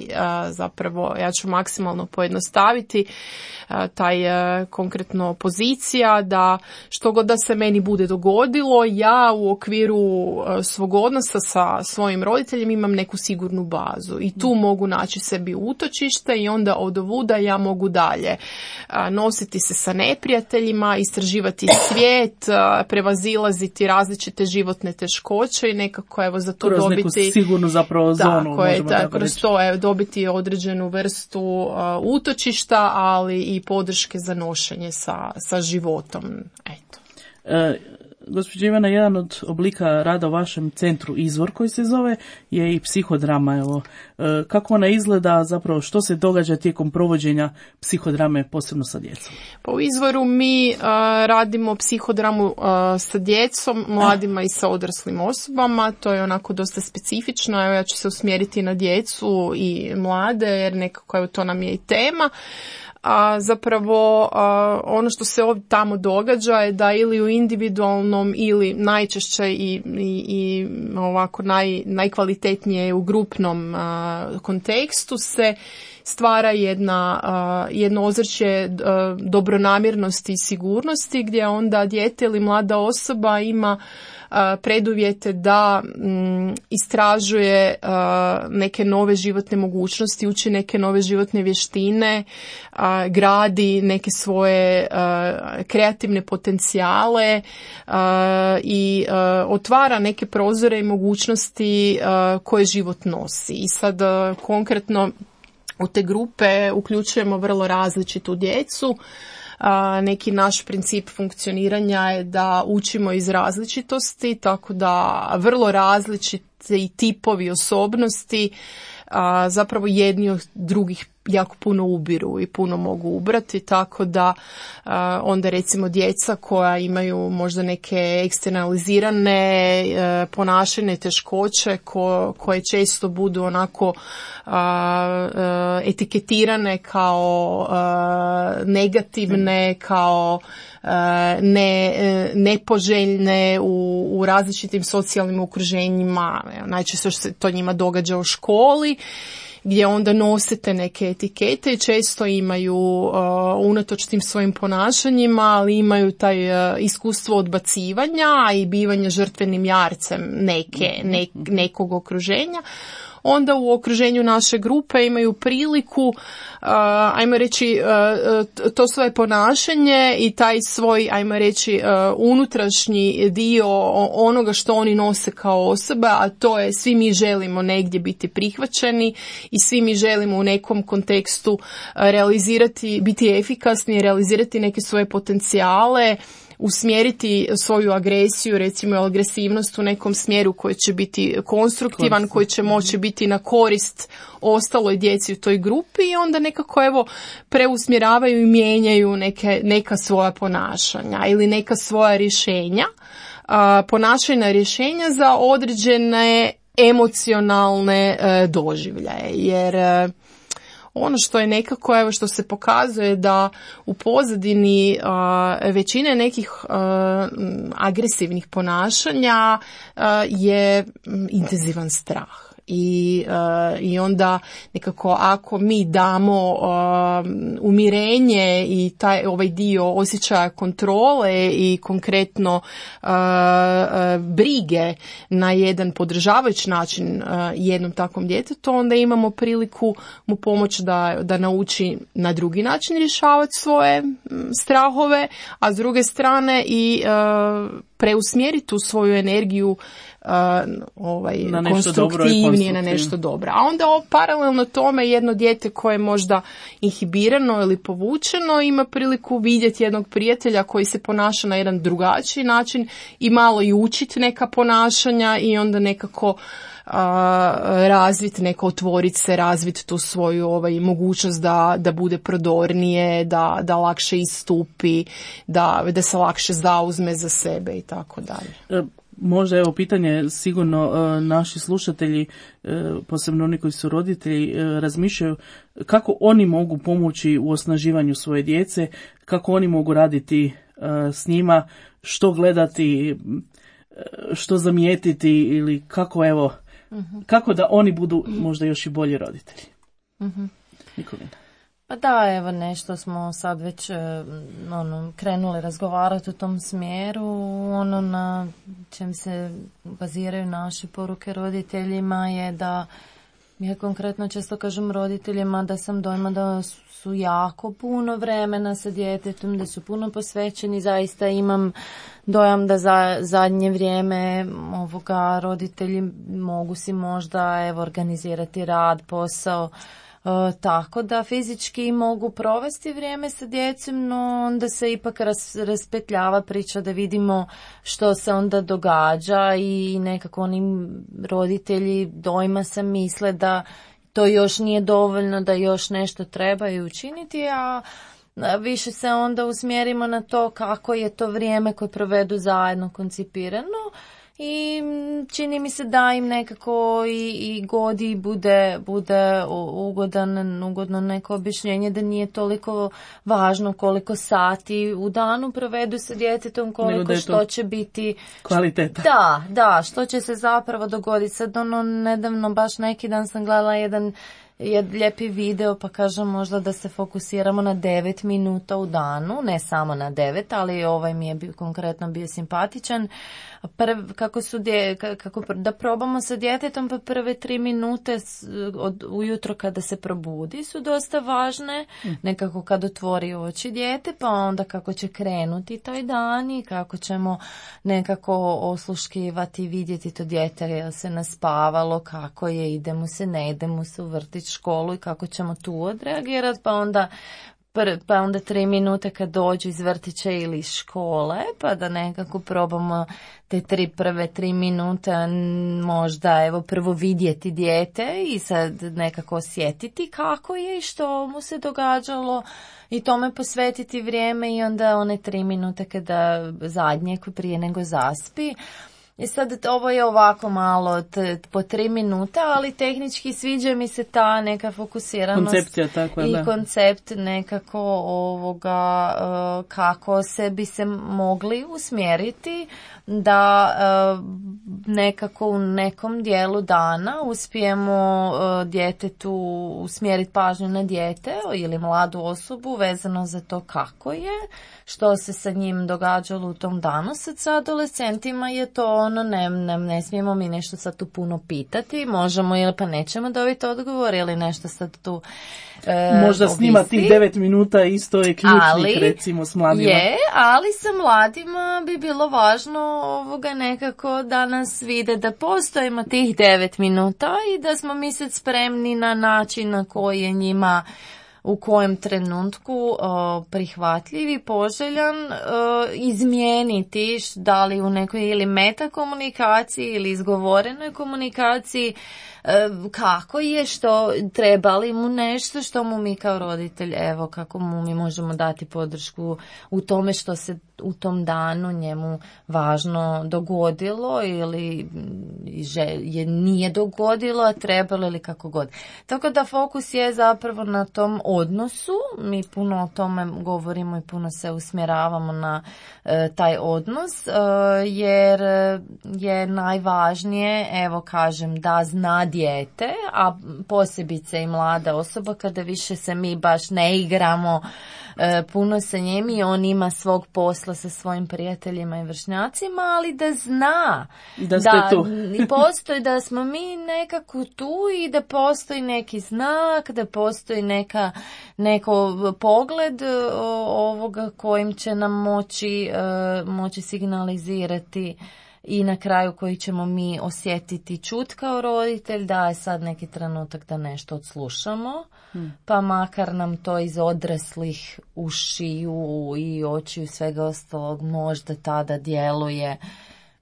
zapravo, ja ću maksimalno pojednostaviti, taj konkretno pozicija da što god da se meni bude dogodilo, ja u okviru svog odnosa sa svojim roditeljem imam neku sigurnu bazu i tu mogu naći sebi utočište i onda odovuda ja mogu dalje nositi se sa neprijateljima, istraživati svijet, prevazilaziti različite životne teškoće i nekako evo za to kroz dobiti neku sigurnu zapravo zonu, možemo tako kroz reći. to dobiti određenu vrstu utočišta, ali i podrške za nošenje sa životom. Eto. Gospođo Ivana, jedan od oblika rada u vašem centru Izvor koji se zove je i psihodrama. Evo, kako ona izgleda, zapravo što se događa tijekom provođenja psihodrame, posebno sa djecom? Pa u Izvoru mi radimo psihodramu sa djecom, mladima i sa odraslim osobama. To je onako dosta specifično. Evo, ja ću se usmjeriti na djecu i mlade jer nekako evo, to nam je i tema. A zapravo ono što se ovdje tamo događa je da ili u individualnom ili najčešće i ovako najkvalitetnije u grupnom kontekstu se stvara jedno ozračje dobronamjernosti i sigurnosti gdje onda dijete ili mlada osoba ima preduvjete da istražuje neke nove životne mogućnosti, uči neke nove životne vještine, gradi neke svoje kreativne potencijale i otvara neke prozore i mogućnosti koje život nosi. I sad konkretno u te grupe uključujemo vrlo različitu djecu. Neki naš princip funkcioniranja je da učimo iz različitosti, tako da vrlo različiti tipovi osobnosti zapravo jedni od drugih jako puno ubiru i puno mogu ubrati, tako da onda recimo djeca koja imaju možda neke eksternalizirane ponašajne teškoće koje često budu onako etiketirane kao negativne, kao nepoželjne u različitim socijalnim okruženjima. Najčešće se to njima događa u školi, gdje onda nosite neke etikete i često imaju unatoč tim svojim ponašanjima, ali imaju taj iskustvo odbacivanja i bivanja žrtvenim jarcem nekog okruženja. Onda u okruženju naše grupe imaju priliku, ajmo reći, to svoje ponašanje i taj svoj, ajmo reći, unutrašnji dio onoga što oni nose kao osoba, a to je svi mi želimo negdje biti prihvaćeni i svi mi želimo u nekom kontekstu realizirati, biti efikasni, realizirati neke svoje potencijale, usmjeriti svoju agresiju, recimo agresivnost u nekom smjeru koji će biti konstruktivan, koji će moći biti na korist ostaloj djeci u toj grupi i onda nekako evo preusmjeravaju i mijenjaju neka svoja ponašanja ili neka svoja rješenja, ponašajna rješenja za određene emocionalne doživljaje, jer ono što je nekako, evo što se pokazuje da u pozadini većine nekih agresivnih ponašanja je intenzivan strah. I onda nekako ako mi damo umirenje i ovaj dio osjećaja kontrole i konkretno brige na jedan podržavajući način jednom takvom djetetu, onda imamo priliku mu pomoći da nauči na drugi način rješavati svoje strahove, a s druge strane i preusmjeriti tu svoju energiju konstruktivnije na nešto dobro. A onda paralelno tome jedno dijete koje je možda inhibirano ili povučeno ima priliku vidjeti jednog prijatelja koji se ponaša na jedan drugačiji način i malo i učiti neka ponašanja i onda nekako razviti, otvoriti se, razviti tu svoju mogućnost da bude prodornije, da lakše istupi, da se lakše zauzme za sebe i tako dalje. Možda evo pitanje, sigurno naši slušatelji, posebno oni koji su roditelji, razmišljaju kako oni mogu pomoći u osnaživanju svoje djece, kako oni mogu raditi s njima, što gledati, što zamijetiti ili kako evo, kako da oni budu možda još i bolji roditelji. Nikolina. Pa da, evo nešto smo sad već krenuli razgovarati u tom smjeru, na čem se baziraju naše poruke roditeljima je da Ja konkretno često kažem roditeljima da sam dojma da su jako puno vremena sa djetetom, da su puno posvećeni. Zaista imam dojam da za zadnje vrijeme roditelji mogu si možda organizirati rad, posao, tako da fizički mogu provesti vrijeme sa djecom, no onda se ipak raspetljava priča da vidimo što se onda događa i nekako oni roditelji dojma se misle da to još nije dovoljno, da još nešto trebaju učiniti, a više se onda usmjerimo na to kako je to vrijeme koje provedu zajedno koncipirano. I čini mi se da im nekako i godi bude ugodno neko objašnjenje da nije toliko važno koliko sati u danu provedu sa djetetom, koliko što će biti kvaliteta. Da, što će se zapravo dogoditi. Sad nedavno, baš neki dan sam gledala jedan lijepi video, pa kažem možda da se fokusiramo na 9 minuta u danu, ne samo na 9, ali ovaj mi je konkretno bio simpatičan. Kako da probamo sa djetetom, pa prve 3 minute ujutro kada se probudi su dosta važne, nekako kad otvori oči dijete, pa onda kako će krenuti taj dan i kako ćemo nekako osluškivati i vidjeti to dijete, je se naspavalo, kako je, ide mu se, ne ide mu se u vrtić, školu i kako ćemo tu odreagirati, pa onda 3 minute kad dođu iz vrtića ili iz škole, pa da nekako probamo te prve 3 minute možda prvo vidjeti dijete i sad nekako osjetiti kako je i što mu se događalo i tome posvetiti vrijeme i onda one 3 minute kada zadnje prije nego zaspi. I sad ovo je ovako malo po 3 minuta, ali tehnički sviđa mi se ta neka fokusiranost. Koncepcija takva, i da. Koncept nekako kako se bi se mogli usmjeriti da nekako u nekom dijelu dana uspijemo djetetu usmjeriti pažnju na dijete ili mladu osobu vezano za to kako je, što se sa njim događalo u tom danu. Sad sa adolescentima je to ne smijemo mi nešto sad tu puno pitati, možemo ili pa nećemo dobiti odgovor ili nešto sad tu možda snima tih 9 minuta isto je ključnik recimo s mladima. Ali sa mladima bi bilo važno nekako da nas vide da postojimo tih 9 minuta i da smo mi sad spremni na način na koji je njima u kojem trenutku prihvatljiv i poželjan izmijeniti, da li u nekoj ili metakomunikaciji ili izgovorenoj komunikaciji, kako je, što treba li mu nešto, što mu mi kao roditelj, kako mu mi možemo dati podršku u tome što se u tom danu njemu važno dogodilo ili je nije dogodilo, a trebalo ili kako god. Tako da fokus je zapravo na tom odnosu, mi puno o tome govorimo i puno se usmjeravamo na taj odnos, jer je najvažnije, da zna dijete, a posebice i mlada osoba, kada više se mi baš ne igramo puno sa njim i on ima svog posla sa svojim prijateljima i vršnjacima, ali da zna da tu. Postoji, da smo mi nekako tu i da postoji neki znak, da postoji neko pogled ovoga kojim će nam moći signalizirati i na kraju koji ćemo mi osjetiti čut kao roditelj da je sad neki trenutak da nešto odslušamo, pa makar nam to iz odraslih ušiju i očiju svega ostalog možda tada djeluje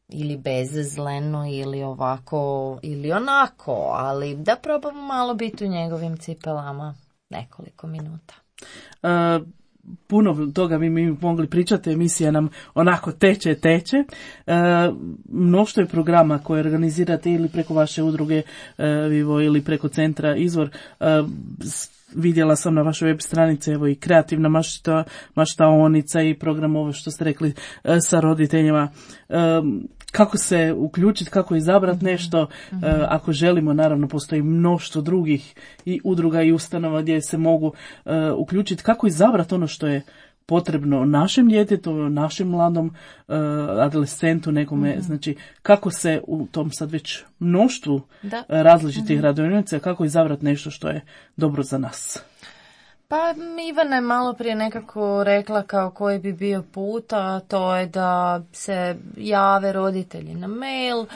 ili bezazleno ili ovako ili onako, ali da probamo malo biti u njegovim cipelama nekoliko minuta. Puno toga mi mogli pričati, emisija nam onako teče. Mnoštvo je programa koje organizirate ili preko vaše udruge Vivo ili preko centra Izvor. Vidjela sam na vašoj web stranici i kreativna maštaonica i program ovo što ste rekli sa roditeljima. Kako se uključiti, kako izabrati nešto, ako želimo, naravno postoji mnoštvo drugih i udruga i ustanova gdje se mogu uključiti, kako izabrati ono što je potrebno našem djetetu, našem mladom adolescentu nekome, znači kako se u tom sad već mnoštvu različitih radionica, kako izabrati nešto što je dobro za nas. Pa Ivana je malo prije nekako rekla kao koji bi bio put, a to je da se jave roditelji na mail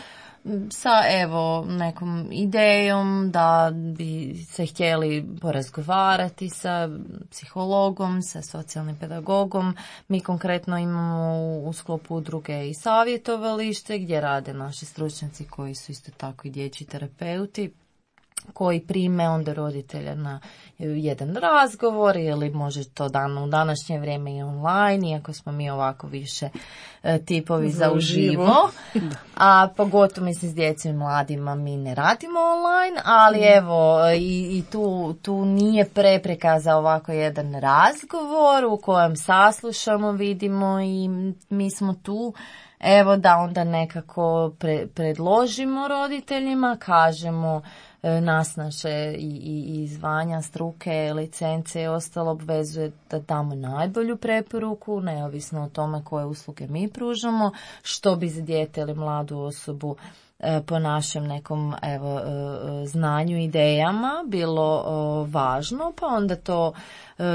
sa evo nekom idejom da bi se htjeli porazgovarati sa psihologom, sa socijalnim pedagogom. Mi konkretno imamo u sklopu udruge i savjetovalište gdje rade naši stručnjaci koji su isto tako i dječji terapeuti, koji prime onda roditelja na jedan razgovor ili može to u današnje vrijeme i online, iako smo mi ovako više tipovi za uživo. A pogotovo mislim s djecom i mladima mi ne radimo online, ali evo i tu nije prepreka za ovako jedan razgovor u kojem saslušamo, vidimo i mi smo tu. Evo da onda nekako predložimo roditeljima, kažemo nas naše i zvanja, struke, licence i ostalo obvezuje da damo najbolju preporuku, neovisno o tome koje usluge mi pružamo, što bi za dijete ili mladu osobu po našem nekom znanju, idejama bilo važno, pa onda to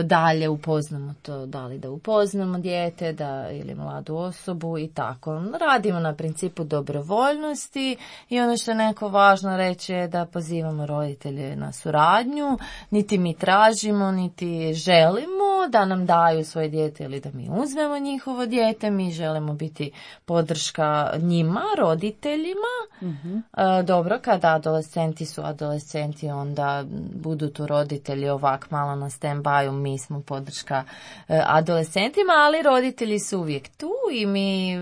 dalje upoznamo to, da li da upoznamo dijete ili mladu osobu i tako. Radimo na principu dobrovoljnosti i ono što je neko važno reći je da pozivamo roditelje na suradnju, niti mi tražimo, niti želimo da nam daju svoje dijete ili da mi uzmemo njihovo dijete, mi želimo biti podrška njima, roditeljima. Dobro, kada adolescenti su adolescenti, onda budu tu roditelji ovak malo na stand-by, mi smo podrška adolescentima, ali roditelji su uvijek tu i mi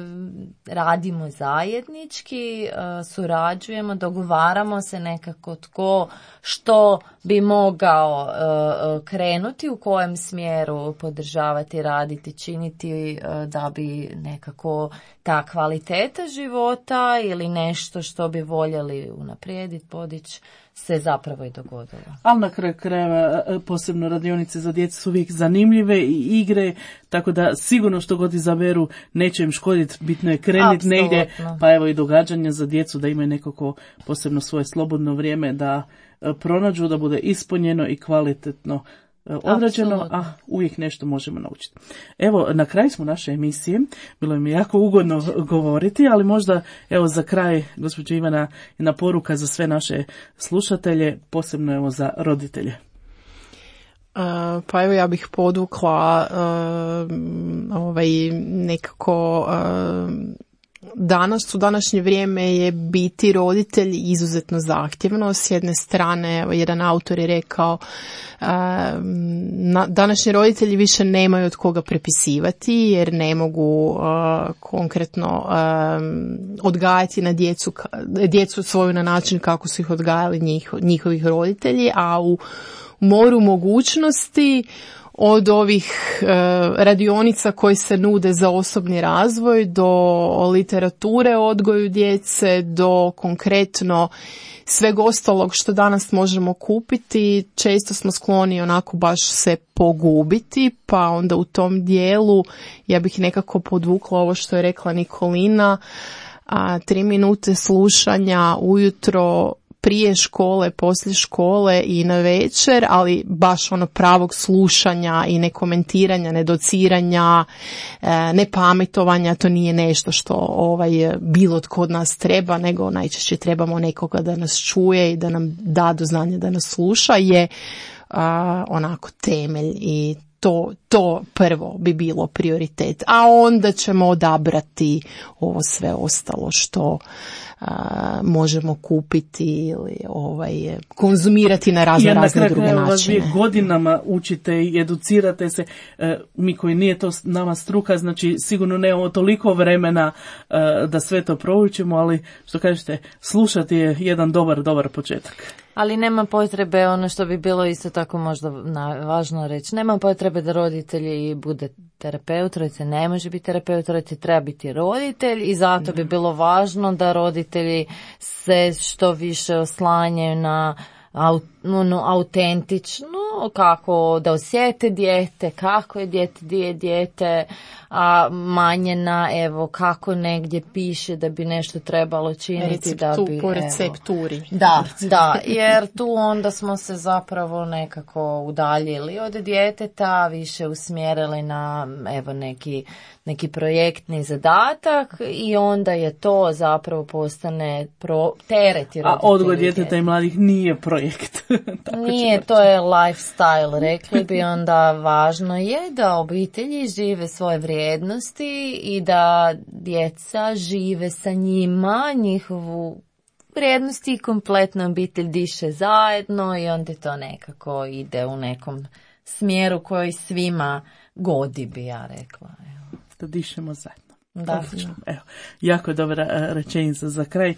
radimo zajednički, surađujemo, dogovaramo se nekako tko što bi mogao krenuti, u kojem smjeru podržavati, raditi, činiti da bi nekako ta kvaliteta života ili nešto što bi voljeli unaprijediti, podići, se zapravo i dogodilo. Ali na kraju krajeva posebno radionice za djecu su uvijek zanimljive i igre, tako da sigurno što god izaberu neće im škoditi, bitno je krenuti negdje, pa evo i događanja za djecu da imaju nekako posebno svoje slobodno vrijeme da pronađu, da bude ispunjeno i kvalitetno odrađeno, a uvijek nešto možemo naučiti. Evo, na kraju smo naše emisije, bilo mi jako ugodno govoriti, ali možda evo za kraj, gospođa Ivana, jedna poruka za sve naše slušatelje, posebno evo za roditelje. Pa evo ja bih podvukla nekako danas, u današnje vrijeme je biti roditelj izuzetno zahtjevno. S jedne strane, jedan autor je rekao, današnji roditelji više nemaju od koga prepisivati jer ne mogu konkretno odgajati na djecu svoju na način kako su ih odgajali njihovih roditelji, a u moru mogućnosti od ovih radionica koji se nude za osobni razvoj do literature o odgoju djece, do konkretno sveg ostalog što danas možemo kupiti, često smo skloni onako baš se pogubiti, pa onda u tom dijelu ja bih nekako podvukla ovo što je rekla Nikolina, 3 minute slušanja ujutro, prije škole, poslije škole i na večer, ali baš ono pravog slušanja i ne komentiranja, ne dociranja, ne pametovanja, to nije nešto što bilo tko od nas treba, nego najčešće trebamo nekoga da nas čuje i da nam da do znanja da nas sluša, je onako temelj i to prvo bi bilo prioritet, a onda ćemo odabrati ovo sve ostalo što možemo kupiti ili konzumirati na razne druge načine. Vi godinama učite i educirate se, mi koji nije to nama struka, znači sigurno nemamo toliko vremena da sve to proučimo, ali što kažete, slušati je jedan dobar početak. Ali nema potrebe, ono što bi bilo isto tako možda važno reći, nema potrebe da roditelji bude terapeut, roditelj ne može biti terapeut, roditelj treba biti roditelj i zato bi bilo važno da roditelji se što više oslanjaju na autentično, kako da osjete dijete, kako je dijete, gdje je dijete, a manje na evo kako negdje piše da bi nešto trebalo činiti da bi po recepturi. Da, jer tu onda smo se zapravo nekako udaljili od djeteta, više usmjerili na evo neki projektni zadatak i onda je to zapravo postane teret. A odgoj djeteta i mladih nije projekt. Nije, to je lifestyle, rekli bi. Onda važno je da obitelji žive svoje vrijednosti i da djeca žive sa njima, njihovu vrijednosti i kompletna obitelj diše zajedno i onda to nekako ide u nekom smjeru koji svima godi, bi ja rekla. Da dišemo zajedno. Da. Evo, jako dobra rečenica za kraj.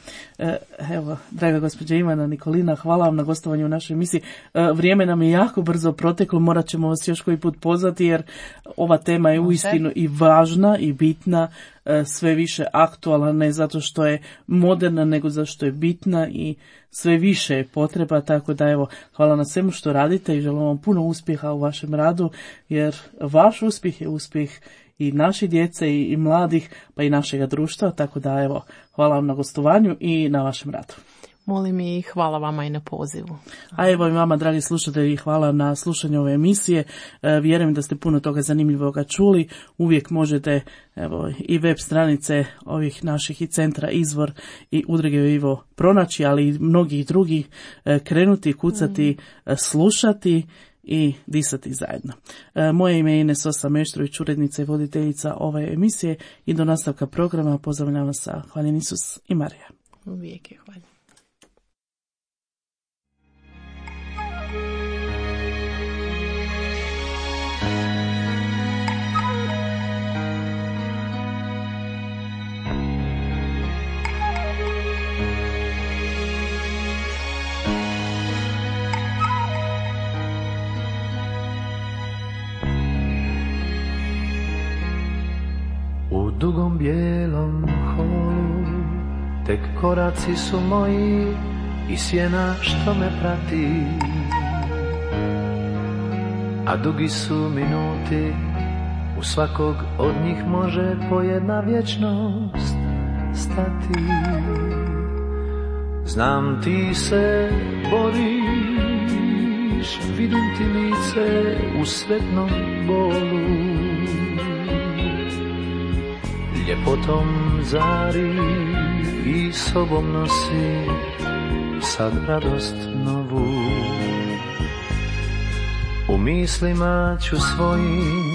Evo, draga gospođa Ivana Nikolina, hvala vam na gostovanju u našoj emisiji. Vrijeme nam je jako brzo proteklo, morat ćemo vas još koji put pozvati jer ova tema je uistinu i važna i bitna, sve više aktualna, ne zato što je moderna, nego zato što je bitna i sve više je potreba, tako da evo, hvala na svemu što radite i želim vam puno uspjeha u vašem radu, jer vaš uspjeh je uspjeh i naši djece i mladih, pa i našega društva, tako da evo, hvala vam na gostovanju i na vašem radu. Molim i hvala vama i na pozivu. A evo i vama, dragi slušatelji, hvala na slušanju ove emisije. Vjerujem da ste puno toga zanimljivoga čuli. Uvijek možete evo, i web stranice ovih naših i centra Izvor i Udruge Vivo pronaći, ali i mnogih drugih krenuti, kucati, slušati i disati zajedno. Moje ime je Ines Osa Meštrović, urednica i voditeljica ove emisije i do nastavka programa pozdravljam vas sa Hvaljen Isus i Marija. Uvijek je hvaljen. U dugom bijelom holu tek koraci su moji i sjena što me prati, a dugi su minuti, u svakog od njih može po jedna vječnost stati. Znam ti se boriš, vidim ti lice u sretnom bolu, ljepotom zari i sobom nosi sad radost novu. U mislima ću svojim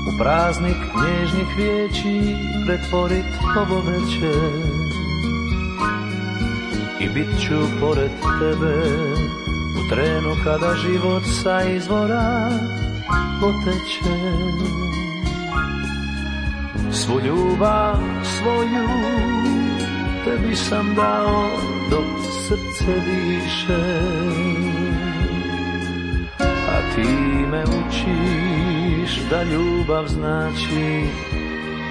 u praznik nježnih riječi pretvorit ovo večer i bit ću pored tebe u trenu kada život sa izvora poteče. Svu ljubav svoju tebi sam dao dok srce diše, a ti me učiš da ljubav znači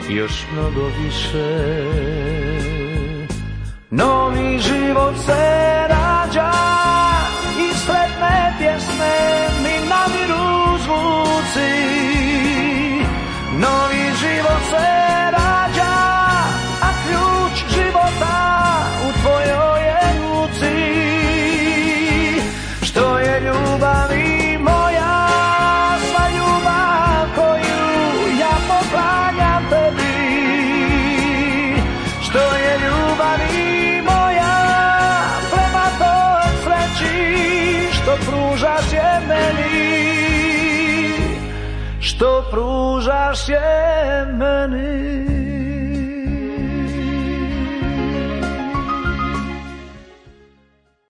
još mnogo više. Novi život se rađa i sretne pjesme mi namiru zvuci. Novi život se rađa, a ključ života u tvojoj je ruci. Što je ljubavi moja, sva ljubav koju ja poklanjam tebi. Što je ljubavi moja, prema toj sreći što pružaš je meni. Što pružaš je meni.